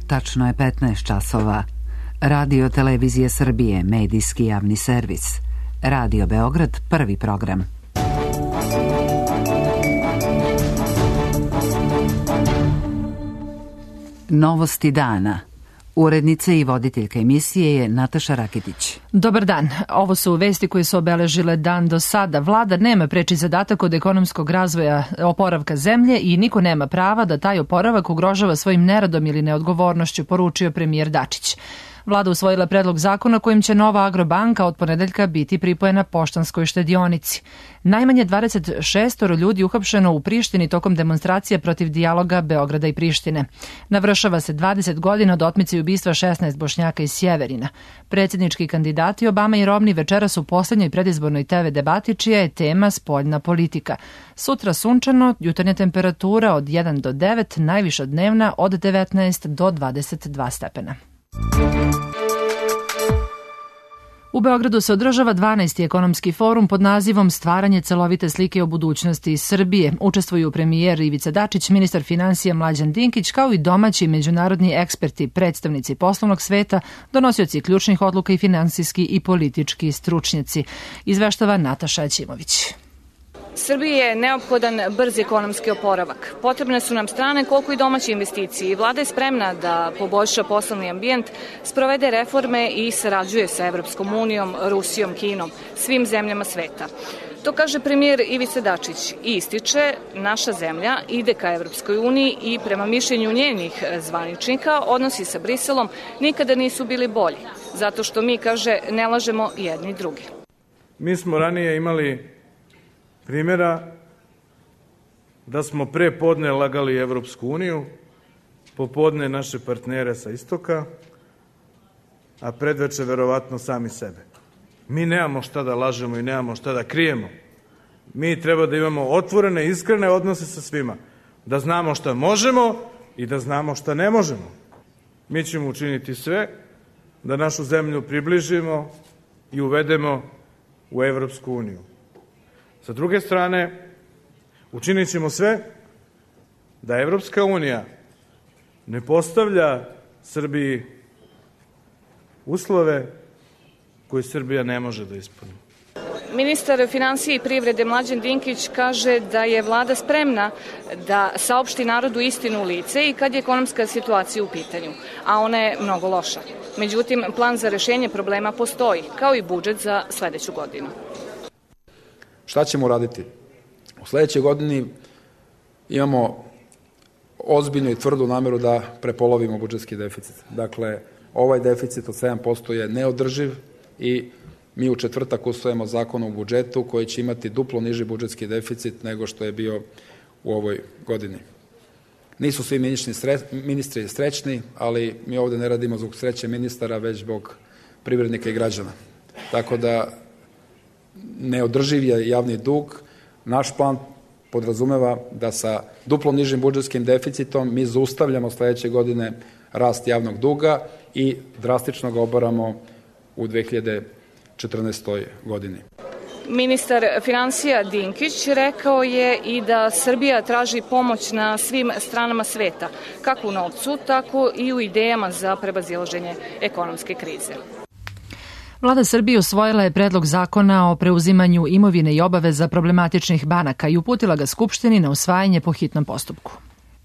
Tačno je 15 časova. Radio Televizije Srbije, medijski javni servis. Radio Beograd, prvi program. Novosti dana. Urednica i voditeljka emisije je Nataša Rakitić. Dobar dan. Ovo su vesti koje su obeležile dan do sada. Vlada nema preči zadatak od ekonomskog razvoja oporavka zemlje i niko nema prava da taj oporavak ugrožava svojim neradom ili neodgovornošću, poručio premijer Dačić. Vlada usvojila predlog zakona kojim će nova Agrobanka od ponedeljka biti pripojena Poštanskoj štedionici. Najmanje 26 ljudi uhapšeno u Prištini tokom demonstracije protiv dijaloga Beograda i Prištine. Navršava se 20 godina od otmice i ubistva 16 Bošnjaka iz Sjeverina. Predsjednički kandidati Obama i Romney večeras u poslednjoj predizbornoj TV debati čija je tema spoljna politika. Sutra sunčano, jutarnja temperatura od 1 do 9, najviša dnevna od 19 do 22 stepena. U Beogradu se održava 12. ekonomski forum pod nazivom Stvaranje celovite slike o budućnosti Srbije. Učestvuju premijer Ivica Dačić, ministar finansija Mlađan Dinkić, kao i domaći i međunarodni eksperti, predstavnici poslovnog sveta, donosioci ključnih odluka i finansijski i politički stručnjaci. Izveštava Nataša Ćimović. Srbiji je neophodan brz ekonomski oporavak. Potrebne su nam strane koliko i domaće investicije. Vlada je spremna da poboljša poslovni ambijent, sprovede reforme i sarađuje sa Evropskom unijom, Rusijom, Kinom, svim zemljama sveta. To kaže premijer Ivica Dačić i ističe, naša zemlja ide ka Evropskoj uniji i prema mišljenju njenih zvaničnika odnosi sa Briselom nikada nisu bili bolji, zato što mi, kaže, ne lažemo jedni drugi. Mi smo ranije imali primjera da smo pre podne lagali Evropsku uniju, popodne naše partnere sa istoka, a predveče verovatno sami sebe. Mi nemamo šta da lažemo i nemamo šta da krijemo. Mi treba da imamo otvorene, iskrene odnose sa svima. Da znamo šta možemo i da znamo šta ne možemo. Mi ćemo učiniti sve da našu zemlju približimo i uvedemo u Evropsku uniju. Sa druge strane, učinit ćemo sve da Evropska unija ne postavlja Srbiji uslove koje Srbija ne može da ispuni. Ministar finansije i privrede Mlađan Dinkić kaže da je vlada spremna da saopšti narodu istinu u lice i kad je ekonomska situacija u pitanju, a ona je mnogo loša. Međutim, plan za rešenje problema postoji, kao i budžet za sledeću godinu. Šta ćemo uraditi? U sledećoj godini imamo ozbiljnu i tvrdu nameru da prepolovimo budžetski deficit. Dakle, ovaj deficit od 7% je neodrživ i mi u četvrtak usvojimo zakon o budžetu koji će imati duplo niži budžetski deficit nego što je bio u ovoj godini. Nisu svi ministri srećni, ali mi ovde ne radimo zbog sreće ministara, već zbog privrednika i građana. Tako da neodrživ je javni dug. Naš plan podrazumeva da sa duplo nižim budžetskim deficitom mi zaustavljamo sledeće godine rast javnog duga i drastično ga obaramo u 2014. godini. Ministar finansija Dinkić rekao je i da Srbija traži pomoć na svim stranama sveta, kako u novcu, tako i u idejama za prevazilaženje ekonomske krize. Vlada Srbije usvojila je predlog zakona o preuzimanju imovine i obaveza problematičnih banaka i uputila ga Skupštini na usvajanje po hitnom postupku.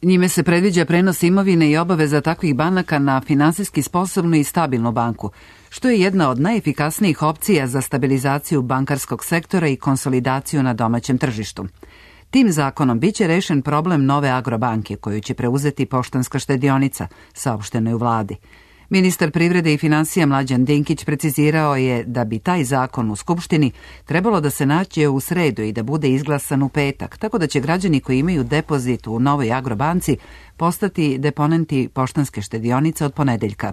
Njime se predviđa prenos imovine i obaveza takvih banaka na finansijski sposobnu i stabilnu banku, što je jedna od najefikasnijih opcija za stabilizaciju bankarskog sektora i konsolidaciju na domaćem tržištu. Tim zakonom biće rešen problem nove Agrobanke koju će preuzeti Poštanska štedionica, saopšteno je u vladi. Ministar privrede i finansija Mlađan Dinkić precizirao je da bi taj zakon u Skupštini trebalo da se nađe u sredu i da bude izglasan u petak, tako da će građani koji imaju depozit u novoj Agrobanci postati deponenti Poštanske štedionice od ponedeljka.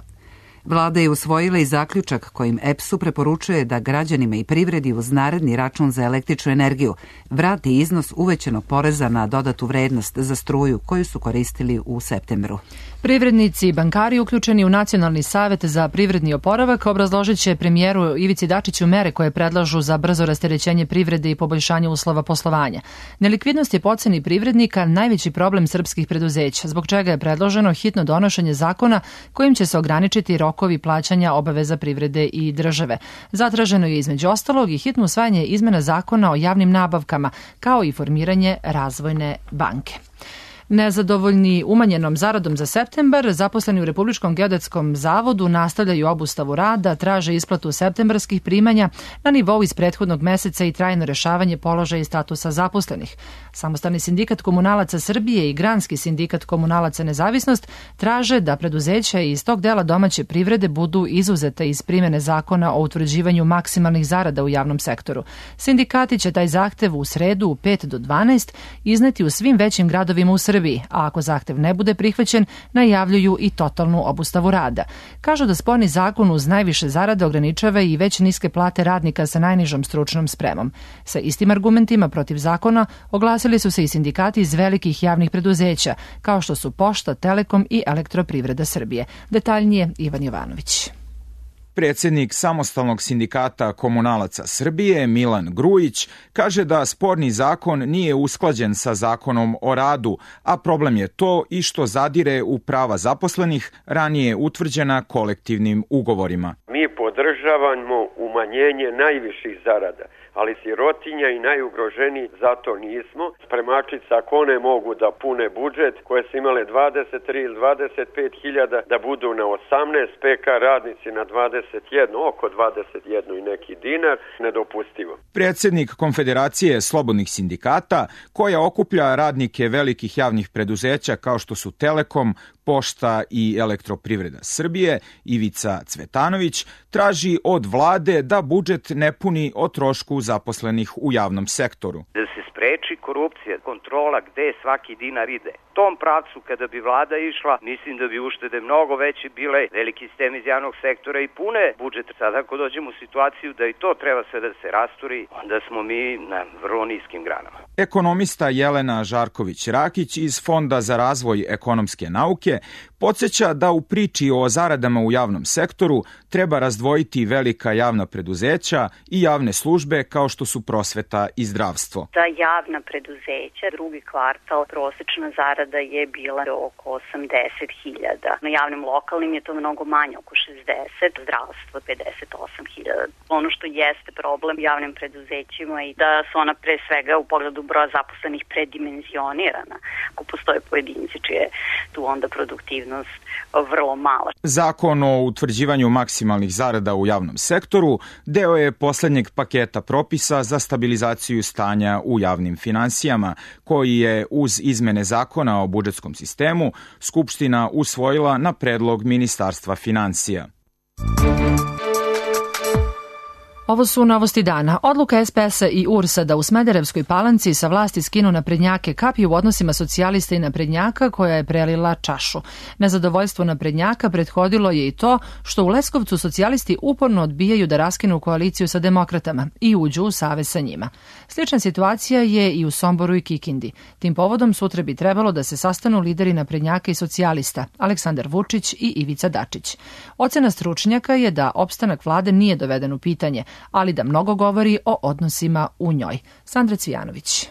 Vlada je usvojila i zaključak kojim EPS-u preporučuje da građanima i privredi uz naredni račun za električnu energiju vrati iznos uvećanog poreza na dodatu vrednost za struju koju su koristili u septembru. Privrednici i bankari uključeni u Nacionalni savet za privredni oporavak obrazložit će premijeru Ivici Dačiću mere koje predlažu za brzo rasterećenje privrede i poboljšanje uslova poslovanja. Nelikvidnost je po oceni privrednika najveći problem srpskih preduzeća, zbog čega je predloženo hitno donošenje zakona kojim će se ograničiti rokovi plaćanja obaveza privrede i države. Zatraženo je između ostalog i hitno usvajanje izmena zakona o javnim nabavkama, kao i formiranje razvojne banke. Nezadovoljni umanjenom zaradom za septembar, zaposleni u Republičkom geodetskom zavodu nastavljaju obustavu rada, traže isplatu septembarskih primanja na nivou iz prethodnog meseca i trajno rešavanje položaja i statusa zaposlenih. Samostalni sindikat komunalaca Srbije i Granski sindikat komunalaca Nezavisnost traže da preduzeća iz tog dela domaće privrede budu izuzete iz primene zakona o utvrđivanju maksimalnih zarada u javnom sektoru. Sindikati će taj zahtev u sredu u 5 do 12 izneti u svim većim gradovima u Srbiji, a ako zahtev ne bude prihvaćen, najavljuju i totalnu obustavu rada. Kažu da sporni zakon uz najviše zarade ograničava i već niske plate radnika sa najnižom stručnom spremom. Sa istim argumentima protiv zakona oglasili su se i sindikati iz velikih javnih preduzeća, kao što su Pošta, Telekom i Elektroprivreda Srbije. Detaljnije Ivan Jovanović. Predsjednik Samostalnog sindikata komunalaca Srbije, Milan Grujić, kaže da sporni zakon nije usklađen sa zakonom o radu, a problem je to i što zadire u prava zaposlenih ranije utvrđena kolektivnim ugovorima. Mi podržavamo umanjenje najviših zarada, ali sirotinja i najugroženiji zato nismo. Spremačica, ako one mogu da pune budžet koje su imale 23 ili 25 hiljada, da budu na 18, PK radnici na 21, oko 21 i neki dinar, nedopustivo. Predsjednik Konfederacije slobodnih sindikata, koja okuplja radnike velikih javnih preduzeća kao što su Telekom, Pošta i Elektroprivreda Srbije, Ivica Cvetanović, traži od vlade da budžet ne puni o trošku zaposlenih u javnom sektoru. Da se spreči korupcija, kontrola gde svaki dinar ide. Tom pravcu kada bi vlada išla, mislim da bi uštede mnogo veće bile, veliki sistem iz javnog sektora i pune budžet. Sada ako dođemo u situaciju da i to treba sve da se rasturi, onda smo mi na vrlo niskim granama. Ekonomista Jelena Žarković-Rakić iz Fonda za razvoj ekonomske nauke podsjeća da u priči o zaradama u javnom sektoru treba razdvojiti velika javna preduzeća i javne službe kao što su prosveta i zdravstvo. Za javna preduzeća drugi kvartal prosečna zarada je bila oko 80.000. Na javnim lokalnim je to mnogo manje, oko 60, zdravstvo 58.000. Ono što jeste problem javnim preduzećima i da su ona pre svega u pogledu broja zaposlenih predimenzionirana. Ako postoje pojedinci čije tu onda produktivnost vrlo mala. Zakon o utvrđivanju maksimalnih zarada u javnom sektoru deo je posljednjeg paketa propisa za stabilizaciju stanja u javnim finansijama, koji je uz izmene zakona o budžetskom sistemu Skupština usvojila na predlog Ministarstva finansija. Ovo su novosti dana. Odluka SPS-a i URS-a da u Smederevskoj Palanci sa vlasti skinu naprednjake kapi u odnosima socijalista i naprednjaka koja je prelila čašu. Nezadovoljstvo naprednjaka prethodilo je i to što u Leskovcu socijalisti uporno odbijaju da raskinu koaliciju sa demokratama i uđu u savez sa njima. Slična situacija je i u Somboru i Kikindi. Tim povodom sutra bi trebalo da se sastanu lideri naprednjaka i socijalista, Aleksandar Vučić i Ivica Dačić. Ocena stručnjaka je da opstanak vlade nije doveden u pitanje, ali da mnogo govori o odnosima u njoj. Sandra Cvijanović.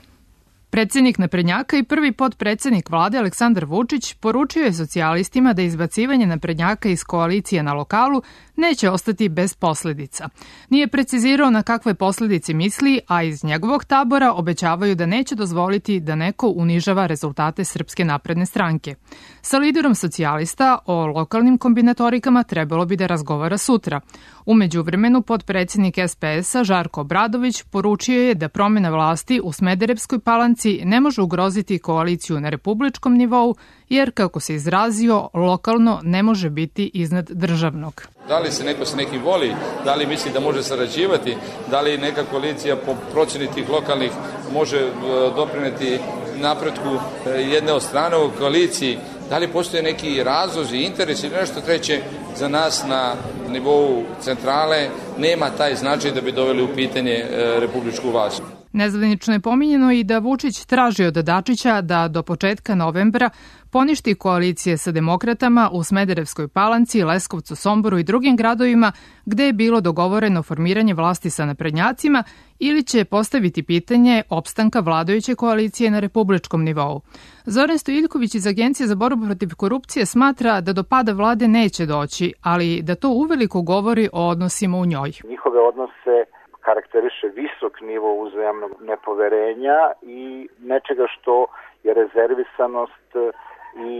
Predsjednik naprednjaka i prvi potpredsjednik vlade Aleksandar Vučić poručio je socijalistima da izbacivanje naprednjaka iz koalicije na lokalu neće ostati bez posljedica. Nije precizirao na kakve posljedice misli, a iz njegovog tabora obećavaju da neće dozvoliti da neko unižava rezultate Srpske napredne stranke. Sa liderom socijalista o lokalnim kombinatorikama trebalo bi da razgovara sutra. U međuvremenu potpredsjednik SPS-a Žarko Obradović poručio je da promjena vlasti u Smederevskoj Palanci ne može ugroziti koaliciju na republičkom nivou, jer, kako se izrazio, lokalno ne može biti iznad državnog. Da li se neko s nekim voli, da li misli da može sarađivati, da li neka koalicija po procjeni tih lokalnih može doprineti napretku jedne od strane u koaliciji, da li postoje neki razlozi, interesi ili nešto treće, za nas na nivou centrale nema taj značaj da bi doveli u pitanje republičku vlast. Nezvanično je pominjeno i da Vučić traži od Dačića da do početka novembra poništi koalicije sa demokratama u Smederevskoj Palanci, Leskovcu, Somboru i drugim gradovima gde je bilo dogovoreno formiranje vlasti sa naprednjacima ili će postaviti pitanje opstanka vladajuće koalicije na republičkom nivou. Zoran Stojiljković iz Agencije za borbu protiv korupcije smatra da do pada vlade neće doći, ali da to uveliko govori o odnosima u njoj. Njihove odnose karakteriše visok nivo uzajamnog nepoverenja i nečega što je rezervisanost i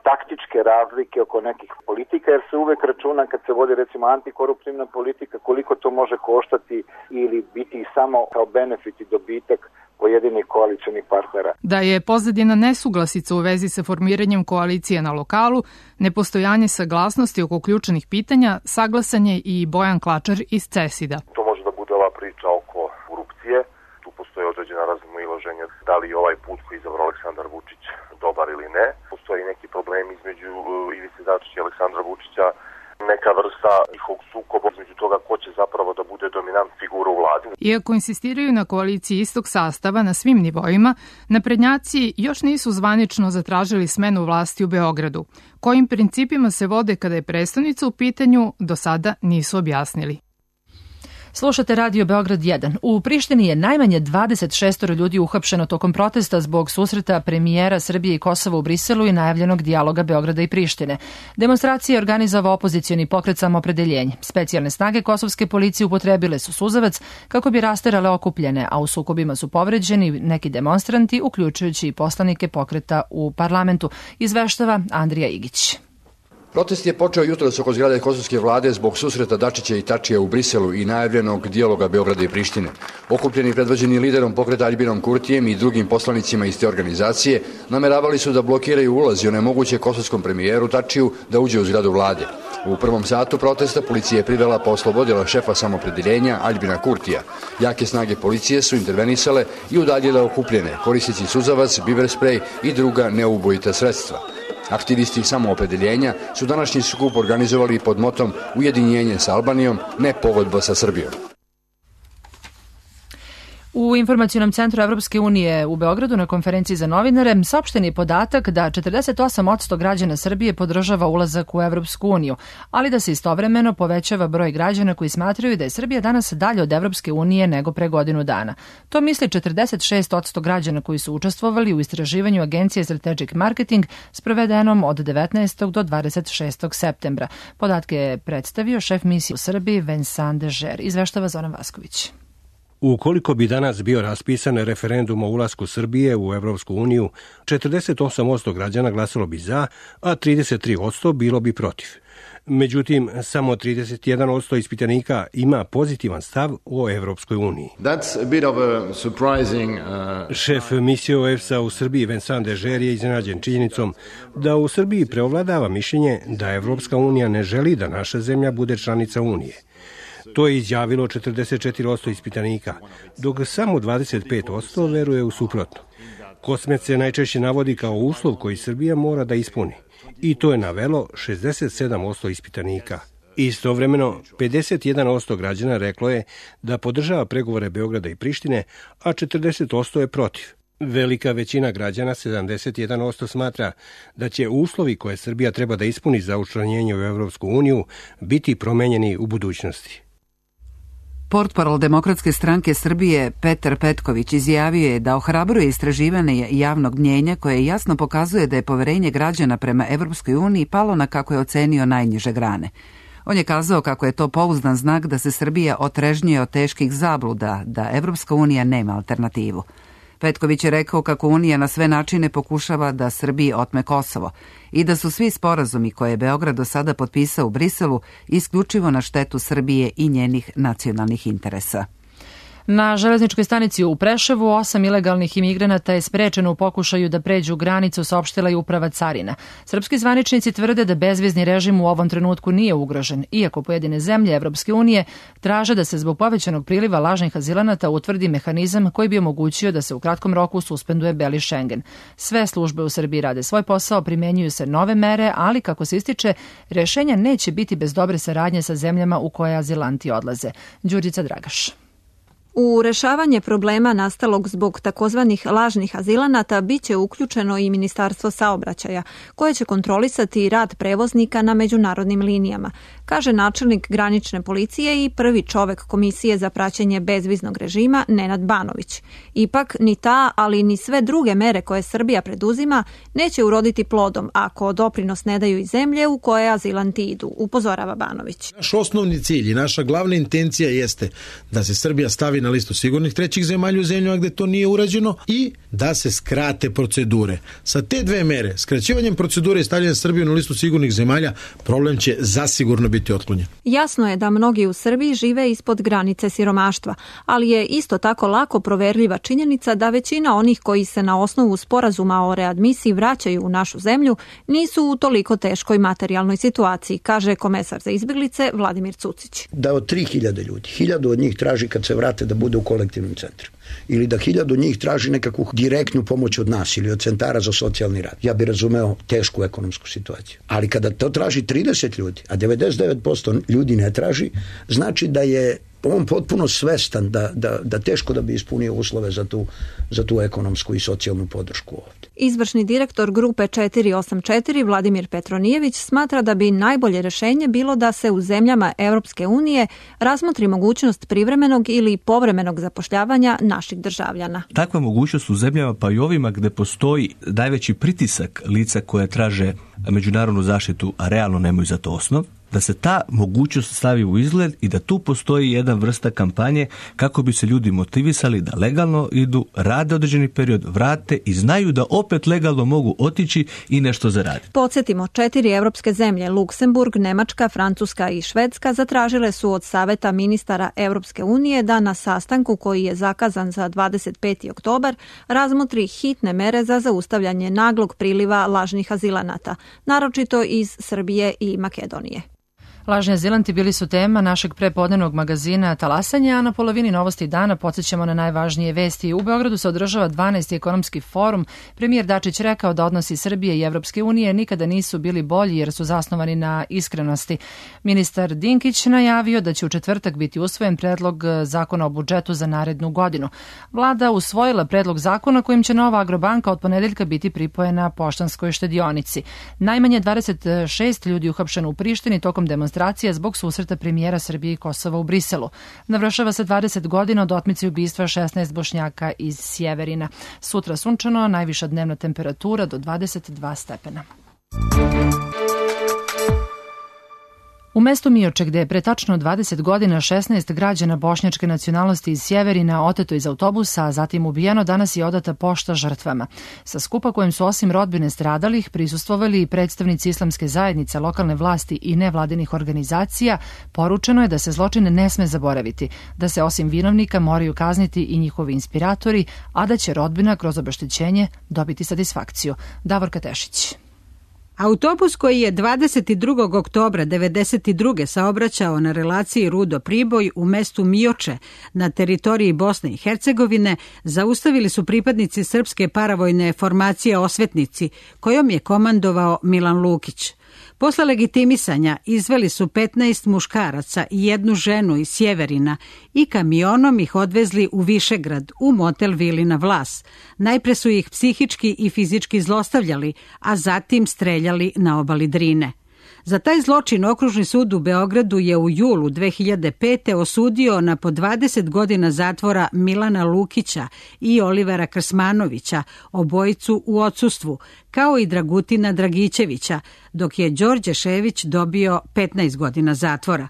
taktičke razlike oko nekih politika, jer se uvek računa kad se vodi recimo antikoruptivna politika koliko to može koštati ili biti samo kao benefit i dobitak pojedinih koalicionih partnera. Da je pozadina nesuglasica u vezi sa formiranjem koalicije na lokalu, nepostojanje saglasnosti oko ključnih pitanja, saglasan je i Bojan Klačar iz CESID-a. To može da bude ova priča oko korupcije. Tu postoje određena razilaženja da li ovaj put koji je izabrao Aleksandar Vučić dobar ili ne. Postoji neki problem između Ivice Dačića i Aleksandra Vučića, neka vrsta njihovog sukoba između toga ko će zapravo da bude dominant figura u vladi. Iako insistiraju na koaliciji istog sastava na svim nivoima, naprednjaci još nisu zvanično zatražili smenu vlasti u Beogradu. Kojim principima se vode kada je prestonica u pitanju, do sada nisu objasnili. Slušate Radio Beograd 1. U Prištini je najmanje 26 ljudi uhapšeno tokom protesta zbog susreta premijera Srbije i Kosova u Briselu i najavljenog dijaloga Beograda i Prištine. Demonstracije je organizovao opozicioni pokret Samoopredeljenje. Specijalne snage kosovske policije upotrebile su suzavac kako bi rasterale okupljene, a u sukobima su povređeni neki demonstranti, uključujući i poslanike pokreta u parlamentu, izveštava Andrija Igić. Protest je počeo jutros oko zgrade kosovske vlade zbog susreta Dačića i Tačija u Briselu i najavljenog dijaloga Beograda i Prištine. Okupljeni predvođeni liderom pokreta Aljbinom Kurtijem i drugim poslanicima iz te organizacije nameravali su da blokiraju ulaz i onemoguće kosovskom premijeru Tačiju da uđe u zgradu vlade. U prvom satu protesta policija je privela pa oslobodila šefa Samoopredeljenja Aljbina Kurtija. Jake snage policije su intervenisale i udaljile okupljene, koristeći suzavac, biber sprej i druga neubojita sredstva. Aktivisti Samoopredeljenja su današnji skup organizovali pod motom Ujedinjenje sa Albanijom, ne pogodba sa Srbijom. U Informacionom centru Evropske unije u Beogradu na konferenciji za novinare saopšten je podatak da 48% građana Srbije podržava ulazak u Evropsku uniju, ali da se istovremeno povećava broj građana koji smatraju da je Srbija danas dalje od Evropske unije nego pre godinu dana. To misli 46% građana koji su učestvovali u istraživanju Agencije Strategic Marketing sprovedenom od 19. do 26. septembra. Podatke je predstavio šef misije u Srbiji Vincent Dežer, izveštava Zoran Vasković. Ukoliko bi danas bio raspisan referendum o ulasku Srbije u Evropsku uniju, 48% građana glasalo bi za, a 33% bilo bi protiv. Međutim, samo 31% ispitanika ima pozitivan stav o Evropskoj uniji. Šef misije OEBS-a u Srbiji Vincent Dežer je iznenađen činjenicom da u Srbiji preovladava mišljenje da Evropska unija ne želi da naša zemlja bude članica unije. To je izjavilo 44% ispitanika, dok samo 25% veruje u suprotno. Kosmet se najčešće navodi kao uslov koji Srbija mora da ispuni, i to je navelo 67% ispitanika. Istovremeno, 51% građana reklo je da podržava pregovore Beograda i Prištine, a 40% je protiv. Velika većina građana, 71%, smatra da će uslovi koje Srbija treba da ispuni za učlanjenje u Evropsku uniju biti promenjeni u budućnosti. Portparol Demokratske stranke Srbije Petar Petković izjavio je da ohrabruje istraživanje javnog mnjenja koje jasno pokazuje da je poverenje građana prema Evropskoj uniji palo na, kako je ocenio, najniže grane. On je kazao kako je to pouzdan znak da se Srbija otrežnjuje od teških zabluda, da Evropska unija nema alternativu. Petković je rekao kako Unija na sve načine pokušava da Srbiji otme Kosovo i da su svi sporazumi koje je Beograd do sada potpisao u Briselu isključivo na štetu Srbije i njenih nacionalnih interesa. Na železničkoj stanici u Preševu 8 ilegalnih imigranata je sprečeno u pokušaju da pređu granicu, saopštila je uprava carina. Srpski zvaničnici tvrde da bezvizni režim u ovom trenutku nije ugrožen, iako pojedine zemlje Evropske unije traže da se zbog povećanog priliva lažnih azilanata utvrdi mehanizam koji bi omogućio da se u kratkom roku suspenduje beli Schengen. Sve službe u Srbiji rade svoj posao, primenjuju se nove mere, ali kako se ističe, rešenja neće biti bez dobre saradnje sa zemljama u koje azilanti odlaze. Đurđica Dragaš. U rešavanje problema nastalog zbog takozvanih lažnih azilanata biće uključeno i Ministarstvo saobraćaja, koje će kontrolisati rad prevoznika na međunarodnim linijama, kaže načelnik granične policije i prvi čovek Komisije za praćenje bezviznog režima Nenad Banović. Ipak ni ta, ali ni sve druge mere koje Srbija preduzima neće uroditi plodom ako doprinos ne daju i zemlje u koje azilanti idu, upozorava Banović. Naš osnovni cilj i naša glavna intencija jeste da se Srbija stavi na listu sigurnih trećih zemalja u zemljama gde to nije urađeno i da se skrate procedure. Sa te dve mere, skraćivanjem procedure i stavljanjem Srbije na listu sigurnih zemalja, problem će zasigurno biti otklonjen. Jasno je da mnogi u Srbiji žive ispod granice siromaštva, ali je isto tako lako proverljiva činjenica da većina onih koji se na osnovu sporazuma o readmisiji vraćaju u našu zemlju nisu u toliko teškoj materijalnoj situaciji, kaže komesar za izbeglice Vladimir Cucić. Da od 3000 ljudi, 1000 od njih traži kad se vrate da bude u kolektivnom centru. Ili da 1000 njih traži nekakvu direktnu pomoć od nas ili od centara za socijalni rad. Ja bih razumeo tešku ekonomsku situaciju. Ali kada to traži 30 ljudi, a 99% ljudi ne traži, znači da je on potpuno svestan da teško da bi ispunio uslove za tu ekonomsku i socijalnu podršku ovdje. Izvršni direktor grupe 484 Vladimir Petronijević smatra da bi najbolje rešenje bilo da se u zemljama Evropske unije razmotri mogućnost privremenog ili povremenog zapošljavanja naših državljana. Takva mogućnost u zemljama, pa i ovima gde postoji najveći pritisak lica koje traže međunarodnu zaštitu, a realno nemaju za to osnov, da se ta mogućnost stavi u izgled i da tu postoji jedna vrsta kampanje kako bi se ljudi motivisali da legalno idu, rade određeni period, vrate i znaju da opet legalno mogu otići i nešto zaraditi. Podsjetimo, 4 evropske zemlje, Luksemburg, Nemačka, Francuska i Švedska, zatražile su od Saveta ministara Evropske unije da na sastanku koji je zakazan za 25. oktobar razmotri hitne mere za zaustavljanje naglog priliva lažnih azilanata, naročito iz Srbije i Makedonije. Lažni azilanti bili su tema našeg prepodnevnog magazina Talasanja, a na polovini Novosti dana podsjećamo na najvažnije vesti. U Beogradu se održava 12. ekonomski forum. Premijer Dačić rekao da odnosi Srbije i Evropske unije nikada nisu bili bolji jer su zasnovani na iskrenosti. Ministar Dinkić najavio da će u četvrtak biti usvojen predlog zakona o budžetu za narednu godinu. Vlada usvojila predlog zakona kojim će nova Agrobanka od ponedeljka biti pripojena Poštanskoj štedionici. Najmanje 26 ljudi uhapšeno u Prištini tokom demonstracija zbog susreta premijera Srbije i Kosova u Briselu. Navršava se 20 godina od otmice i ubistva 16 Bošnjaka iz Sjeverina. Sutra sunčano, najviša dnevna temperatura do 22 stepena. U mestu Mioče, gde je pre tačno 20 godina 16 građana bošnjačke nacionalnosti iz Sjeverina oteto iz autobusa, a zatim ubijeno, danas je odata pošta žrtvama. Sa skupa kojem su osim rodbine stradalih prisustvovali i predstavnici islamske zajednice, lokalne vlasti i nevladinih organizacija, poručeno je da se zločine ne sme zaboraviti, da se osim vinovnika moraju kazniti i njihovi inspiratori, a da će rodbina kroz obeštećenje dobiti satisfakciju. Davorka Tešić. Autobus koji je 22. oktobra 1992. saobraćao na relaciji Rudo-Priboj u mestu Mioče na teritoriji Bosne i Hercegovine zaustavili su pripadnici srpske paravojne formacije Osvetnici, kojom je komandovao Milan Lukić. Posle legitimisanja izveli su 15 muškaraca i jednu ženu iz Sjeverina i kamionom ih odvezli u Višegrad, u motel Vilina Vlas. Najpre su ih psihički i fizički zlostavljali, a zatim streljali na obali Drine. Za taj zločin Okružni sud u Beogradu je u julu 2005. osudio na po 20 godina zatvora Milana Lukića i Olivera Krsmanovića, obojicu u odsustvu, kao i Dragutina Dragićevića, dok je Đorđe Šević dobio 15 godina zatvora.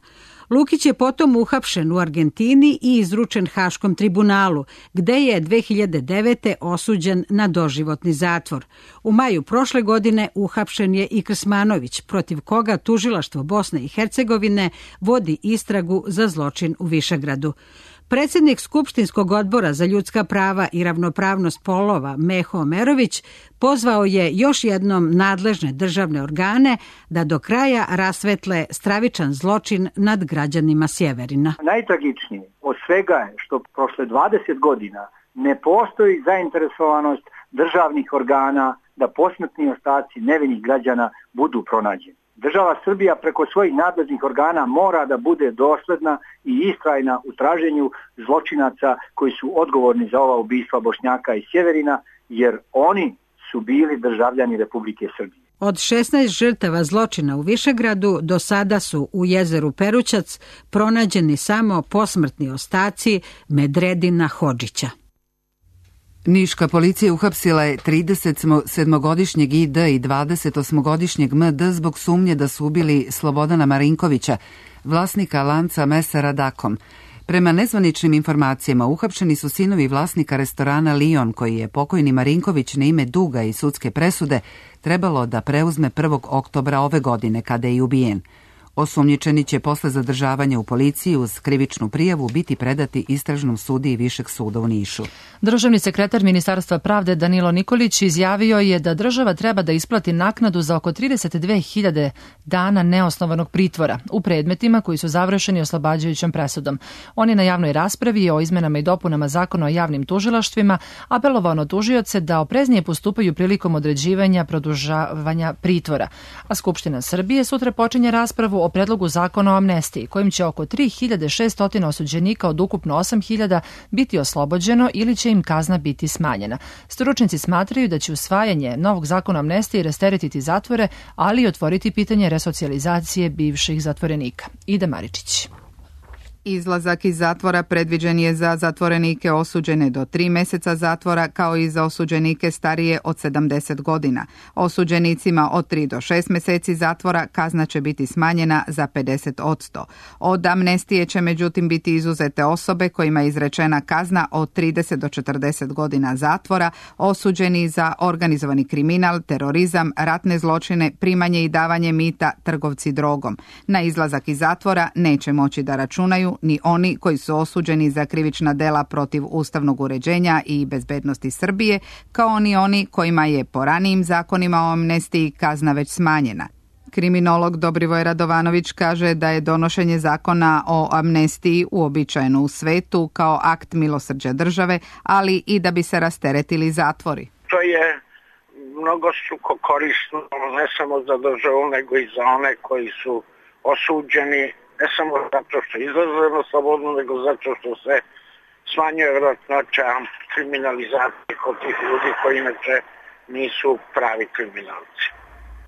Lukić je potom uhapšen u Argentini i izručen Haškom tribunalu, gde je 2009. osuđen na doživotni zatvor. U maju prošle godine uhapšen je i Krsmanović, protiv koga tužilaštvo Bosne i Hercegovine vodi istragu za zločin u Višegradu. Predsjednik Skupštinskog odbora za ljudska prava i ravnopravnost polova Meho Omerović pozvao je još jednom nadležne državne organe da do kraja rasvetle stravičan zločin nad građanima Sjeverina. Najtragičnije od svega je što prošle 20 godina ne postoji zainteresovanost državnih organa da posmrtni ostaci nevinih građana budu pronađeni. Država Srbija preko svojih nadležnih organa mora da bude dosledna i istrajna u traženju zločinaca koji su odgovorni za ova ubistva Bošnjaka i Sjeverina, jer oni su bili državljani Republike Srbije. Od 16 žrtava zločina u Višegradu do sada su u jezeru Perućac pronađeni samo posmrtni ostaci Medredina Hodžića. Niška policija uhapsila je 37-godišnjeg ID i 28-godišnjeg MD zbog sumnje da su ubili Slobodana Marinkovića, vlasnika lanca mesa Radakom. Prema nezvaničnim informacijama uhapšeni su sinovi vlasnika restorana Lion, koji je pokojni Marinković na ime duga i sudske presude trebalo da preuzme 1. oktobra ove godine kada je i ubijen. Osumnjičeni će posle zadržavanja u policiji uz krivičnu prijavu biti predati istražnom sudiji Višeg suda u Nišu. Državni sekretar Ministarstva pravde Danilo Nikolić izjavio je da država treba da isplati naknadu za oko 32.000 dana neosnovanog pritvora u predmetima koji su završeni oslobađajućom presudom. On je na javnoj raspravi o izmenama i dopunama Zakona o javnim tužilaštvima apelovao na tužioce da opreznije postupaju prilikom određivanja produžavanja pritvora. A Skupština Srbije sutra počinje raspravu o predlogu zakona o amnestiji, kojim će oko 3.600 osuđenika od ukupno 8.000 biti oslobođeno ili će im kazna biti smanjena. Stručnjaci smatraju da će usvajanje novog zakona o amnestiji rasteretiti zatvore, ali i otvoriti pitanje resocijalizacije bivših zatvorenika. Ida Maričić. Izlazak iz zatvora predviđen je za zatvorenike osuđene do 3 meseca zatvora, kao i za osuđenike starije od 70 godina. Osuđenicima od 3 do 6 meseci zatvora kazna će biti smanjena za 50%. Od amnestije će međutim biti izuzete osobe kojima je izrečena kazna od 30 do 40 godina zatvora, osuđeni za organizovani kriminal, terorizam, ratne zločine, primanje i davanje mita, trgovci drogom. Na izlazak iz zatvora neće moći da računaju ni oni koji su osuđeni za krivična dela protiv ustavnog uređenja i bezbednosti Srbije, kao ni oni kojima je po ranijim zakonima o amnestiji kazna već smanjena. Kriminolog Dobrivoj Radovanović kaže da je donošenje zakona o amnestiji uobičajeno u svetu kao akt milosrđa države, ali i da bi se rasteretili zatvori. To je mnogostruko korisno ne samo za državu, nego i za one koji su osuđeni, ne samo zato što izlaze na slobodno, nego zato što se smanjuje vjerojatnoća kriminalizacije kod tih ljudi koji inače nisu pravi kriminalci.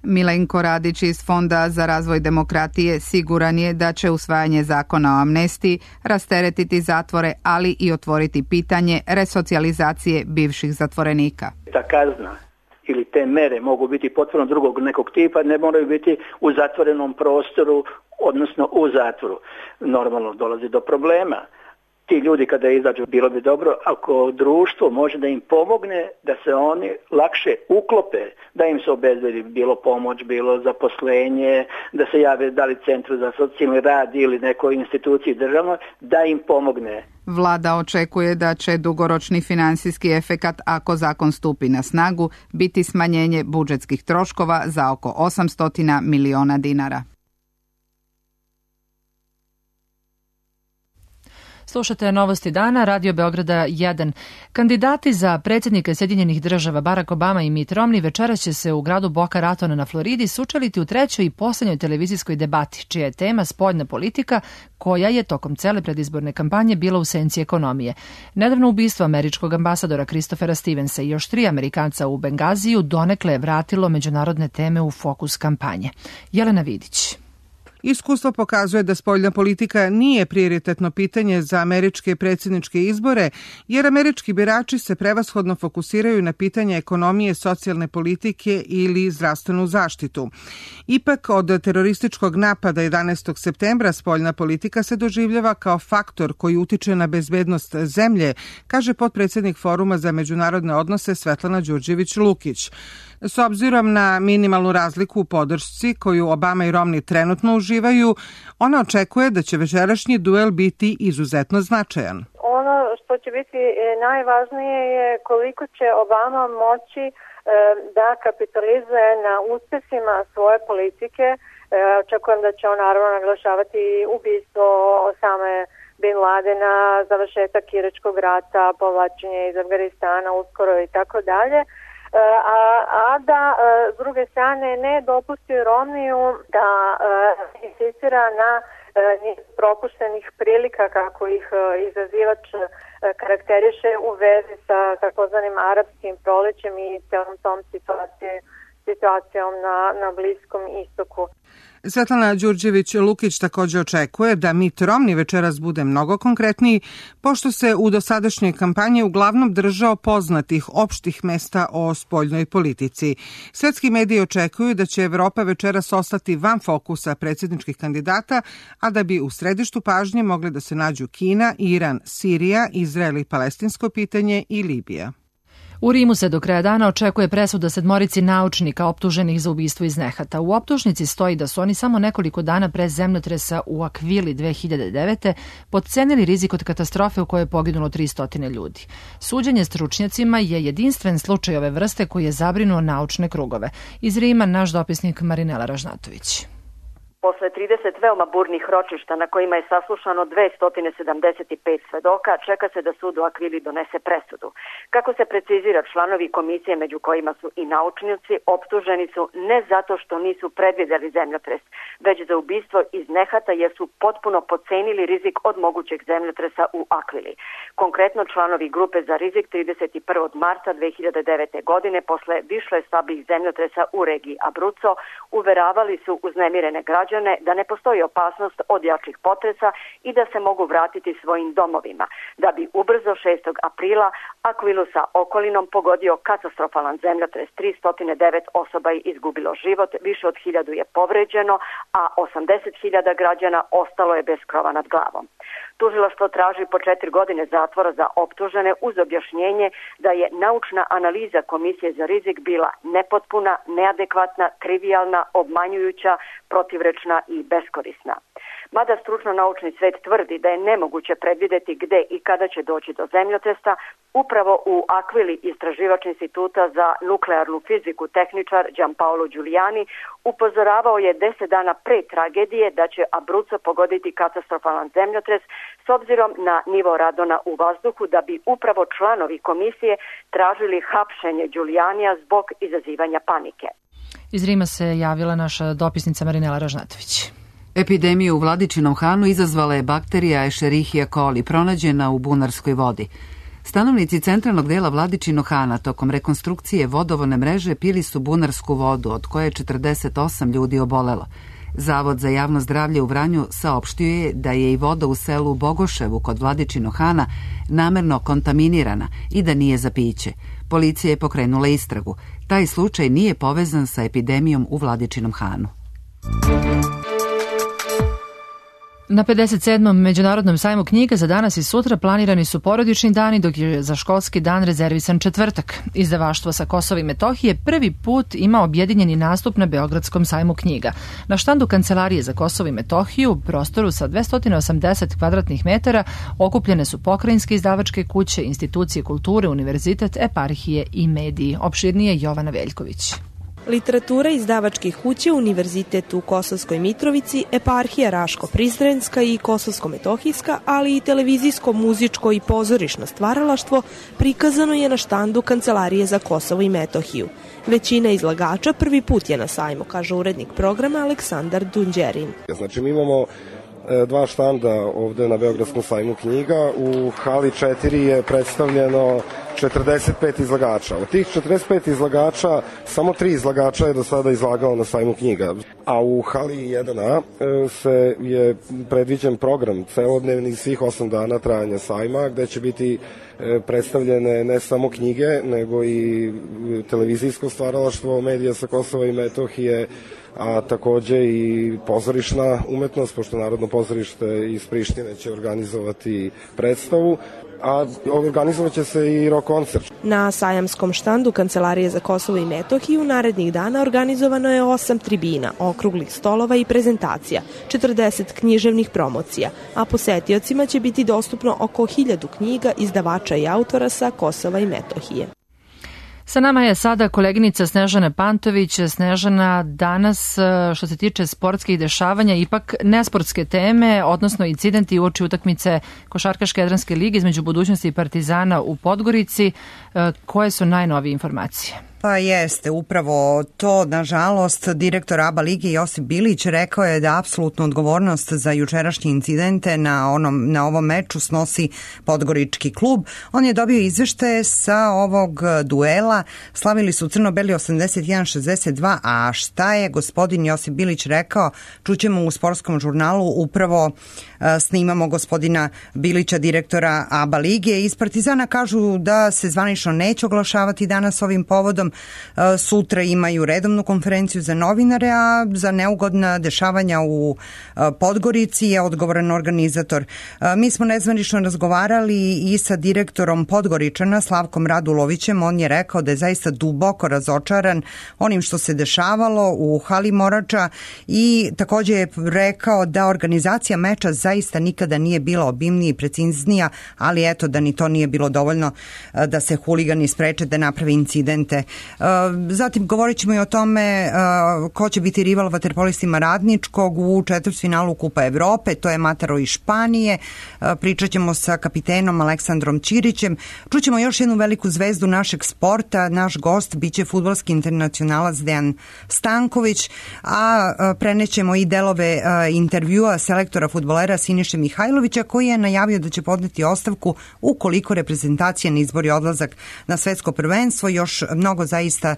Milenko Radić iz Fonda za razvoj demokratije siguran je da će usvajanje zakona o amnestiji rasteretiti zatvore, ali i otvoriti pitanje resocijalizacije bivših zatvorenika. Ta kazna ili te mere mogu biti potpuno drugog nekog tipa, ne moraju biti u zatvorenom prostoru, odnosno u zatvoru. Normalno dolazi do problema. Ti ljudi kada izađu, bilo bi dobro ako društvo može da im pomogne da se oni lakše uklope, da im se obezbedi bilo pomoć, bilo zaposlenje, da se jave da li centru za socijalni rad ili nekoj instituciji državnoj, da im pomogne. Vlada očekuje da će dugoročni finansijski efekat, ako zakon stupi na snagu, biti smanjenje budžetskih troškova za oko 800 miliona dinara. Slušate Novosti dana, Radio Beograda 1. Kandidati za predsjednika Sjedinjenih država Barack Obama i Mitt Romney večeras će se u gradu Boca Raton na Floridi sučeliti u trećoj i posljednjoj televizijskoj debati, čija je tema spoljna politika, koja je tokom cele predizborne kampanje bila u senci ekonomije. Nedavno ubistvo američkog ambasadora Christophera Stevensa i još 3 Amerikanca u Bengaziju donekle je vratilo međunarodne teme u fokus kampanje. Jelena Vidić. Iskustvo pokazuje da spoljna politika nije prioritetno pitanje za američke predsjedničke izbore, jer američki birači se prevashodno fokusiraju na pitanje ekonomije, socijalne politike ili zdravstvenu zaštitu. Ipak, od terorističkog napada 11. septembra spoljna politika se doživljava kao faktor koji utiče na bezbednost zemlje, kaže potpredsjednik Foruma za međunarodne odnose Svetlana Đurđević-Lukić. S obzirom na minimalnu razliku u podršci koju Obama i Romney trenutno uživaju, ona očekuje da će večerašnji duel biti izuzetno značajan. Ono što će biti najvažnije je koliko će Obama moći da kapitalizuje na uspesima svoje politike. Očekujem da će on naravno naglašavati ubistvo Osame Bin Ladena, završetak Iračkog rata, povlačenje iz Afganistana uskoro i tako dalje. A da s druge strane ne dopusti Romneyu da insistira na propuštenih prilika kako ih izazivač karakteriše u vezi sa takozvanim arapskim prolećem i celom tom situacijom na Bliskom istoku. Svetlana Đurđević-Lukić također očekuje da Mitt Romney večeras bude mnogo konkretniji, pošto se u dosadašnjoj kampanji uglavnom držao poznatih opštih mesta o spoljnoj politici. Svetski mediji očekuju da će Evropa večeras ostati van fokusa predsjedničkih kandidata, a da bi u središtu pažnje mogli da se nađu Kina, Iran, Sirija, Izrael i palestinsko pitanje i Libija. U Rimu se do kraja dana očekuje presuda 7 naučnika optuženih za ubistvo iz nehata. U optužnici stoji da su oni samo nekoliko dana pre zemljotresa u Akvili 2009. podcenili rizik od katastrofe u kojoj je poginulo 300 ljudi. Suđenje stručnjacima je jedinstven slučaj ove vrste koji je zabrinuo naučne krugove. Iz Rima naš dopisnik Marinela Ražnatović. Posle 30 veoma burnih ročišta na kojima je saslušano 275 svedoka, čeka se da sud u Akvili donese presudu. Kako se precizira, članovi komisije, među kojima su i naučnici, optuženi su ne zato što nisu predvideli zemljotres, već za ubistvo iz nehata jer su potpuno podcenili rizik od mogućeg zemljotresa u Akvili. Konkretno, članovi grupe za rizik 31. marta 2009. godine posle više slabih zemljotresa u regiji Abruzzo uveravali su uznemirene građane da ne postoji opasnost od jačih potresa i da se mogu vratiti svojim domovima, da bi ubrzo 6. aprila Akvilu sa okolinom pogodio katastrofalan zemljotres. 309 osoba je izgubilo život, više od 1000 je povređeno, a 80.000 građana ostalo je bez krova nad glavom. Tužilaštvo traži po 4 godine zatvora za optužene uz objašnjenje da je naučna analiza Komisije za rizik bila nepotpuna, neadekvatna, trivijalna, obmanjujuća, protivrečna i beskorisna. Mada stručno-naučni svet tvrdi da je nemoguće predvideti gde i kada će doći do zemljotresa, upravo u Akvili istraživač Instituta za nuklearnu fiziku tehničar Gianpaolo Giuliani upozoravao je 10 dana pre tragedije da će Abruzzo pogoditi katastrofalan zemljotres s obzirom na nivo radona u vazduhu, da bi upravo članovi komisije tražili hapšenje Giulianija zbog izazivanja panike. Iz Rima se javila naša dopisnica Marinela Ražnatović. Epidemiju u Vladičinom Hanu izazvala je bakterija Escherichia coli, pronađena u bunarskoj vodi. Stanovnici centralnog dela Vladičinog Hana tokom rekonstrukcije vodovodne mreže pili su bunarsku vodu, od koje je 48 ljudi obolelo. Zavod za javno zdravlje u Vranju saopštio je da je i voda u selu Bogoševu kod Vladičinog Hana namerno kontaminirana i da nije za piće. Policija je pokrenula istragu. Taj slučaj nije povezan sa epidemijom u Vladičinom Hanu. Na 57. Međunarodnom sajmu knjiga za danas i sutra planirani su porodični dani, dok je za školski dan rezervisan četvrtak. Izdavaštvo sa Kosova i Metohije prvi put ima objedinjeni nastup na Beogradskom sajmu knjiga. Na štandu Kancelarije za Kosovo i Metohiju u prostoru sa 280 kvadratnih metara okupljene su pokrajinske izdavačke kuće, institucije kulture, univerzitet, eparhije i mediji. Opširnije Jovana Veljković. Literatura izdavačkih kuće, univerzitet u Kosovskoj Mitrovici, eparhija Raško-Prizrenska i Kosovsko-Metohijska, ali i televizijsko, muzičko i pozorišno stvaralaštvo prikazano je na štandu Kancelarije za Kosovo i Metohiju. Većina izlagača prvi put je na sajmu, kaže urednik programa Aleksandar Dunđerin. Znači, mi imamo dva štanda ovde na Beogradskom sajmu knjiga. U hali 4 je predstavljeno 45 izlagača. Od tih 45 izlagača, samo 3 izlagača je do sada izlagalo na sajmu knjiga. A u hali 1A se je predviđen program celodnevni svih 8 dana trajanja sajma, gde će biti predstavljene ne samo knjige, nego i televizijsko stvaralaštvo medija sa Kosova i Metohije, a takođe i pozorišna umetnost, pošto Narodno pozorište iz Prištine će organizovati predstavu. a organizovaće se i rock koncert. Na sajamskom štandu Kancelarije za Kosovo i Metohiju narednih dana organizovano je 8 tribina, okruglih stolova i prezentacija, 40 književnih promocija, a posetiocima će biti dostupno oko 1000 knjiga izdavača i autora sa Kosova i Metohije. Sa nama je sada koleginica Snežana Pantović. Snežana, danas što se tiče sportskih dešavanja, ipak nesportske teme, odnosno incidenti uoči utakmice Košarkaške Jadranske lige između Budućnosti i Partizana u Podgorici. Koje su najnovije informacije? Pa jeste, upravo to, nažalost, direktor ABA lige Josip Bilić rekao je da apsolutnu odgovornost za jučerašnje incidente na ovom meču snosi Podgorički klub. On je dobio izveštaje sa ovog duela, slavili su crno-beli 81-62, a šta je gospodin Josip Bilić rekao, čućemo u sportskom žurnalu, upravo snimamo gospodina Bilića, direktora ABA lige. Iz Partizana kažu da se zvanično neće oglašavati danas ovim povodom. Sutra imaju redovnu konferenciju za novinare, a za neugodna dešavanja u Podgorici je odgovoran organizator. Mi smo nezvanično razgovarali i sa direktorom Podgoričana, Slavkom Radulovićem. On je rekao da je zaista duboko razočaran onim što se dešavalo u hali Morača i takođe je rekao da organizacija meča zaista nikada nije bila obimnija i preciznija, ali eto da ni to nije bilo dovoljno da se huligani spreče da naprave incidente. Zatim govorit ćemo i o tome ko će biti rival vaterpolistima Radničkog u četvrtfinalu Kupa Evrope, to je Mataro iz Španije. Pričat ćemo sa kapitenom Aleksandrom Ćirićem. Čućemo još jednu veliku zvezdu našeg sporta. Naš gost biće fudbalski internacionalac Dejan Stanković, a prenećemo i delove intervjua selektora fudbalera Siniše Mihajlovića, koji je najavio da će podneti ostavku ukoliko reprezentacija ne izbori odlazak na svetsko prvenstvo. Još mnogo zaista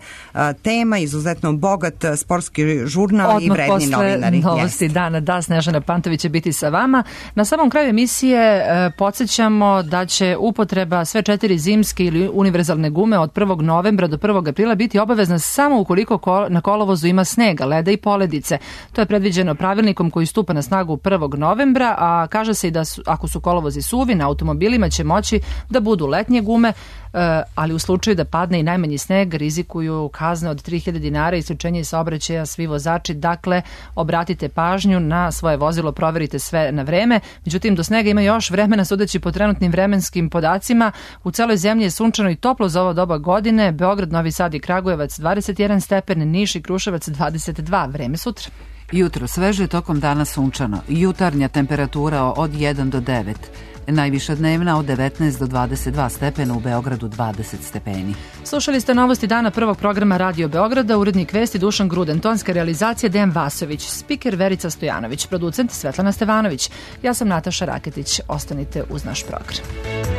tema, izuzetno bogat sportski žurnal odmah i vredni novinari. Odmah posle novosti dana, da, Snežana Pantović će biti sa vama. Na samom kraju emisije podsjećamo da će upotreba sve 4 zimske ili univerzalne gume od 1. novembra do 1. aprila biti obavezna samo ukoliko na kolovozu ima snega, leda i poledice. To je predviđeno pravilnikom koji stupa na snagu 1. novembra, a kaže se i da ako su kolovozi suvi, na automobilima će moći da budu letnje gume, ali u slučaju da padne i najmanji sneg rizikuju kazne od 3000 dinara i isključenje iz saobraćaja svi vozači. Dakle, obratite pažnju na svoje vozilo, proverite sve na vreme. Međutim, do snega ima još vremena, sudeći po trenutnim vremenskim podacima. U celoj zemlji je sunčano i toplo za ovo doba godine. Beograd, Novi Sad i Kragujevac 21 stepen, Niš i Kruševac 22. Vreme sutra. Jutro sveže, tokom dana sunčano. Jutarnja temperatura od 1 do 9. Najviša dnevna od 19 do 22 stepena, u Beogradu 20 stepeni. Slušali ste novosti dana prvog programa Radio Beograda, urednik vesti Dušan Gruden, tonska realizacija Dejan Vasović, spiker Verica Stojanović, producent Svetlana Stevanović. Ja sam Nataša Raketić. Ostanite uz naš program.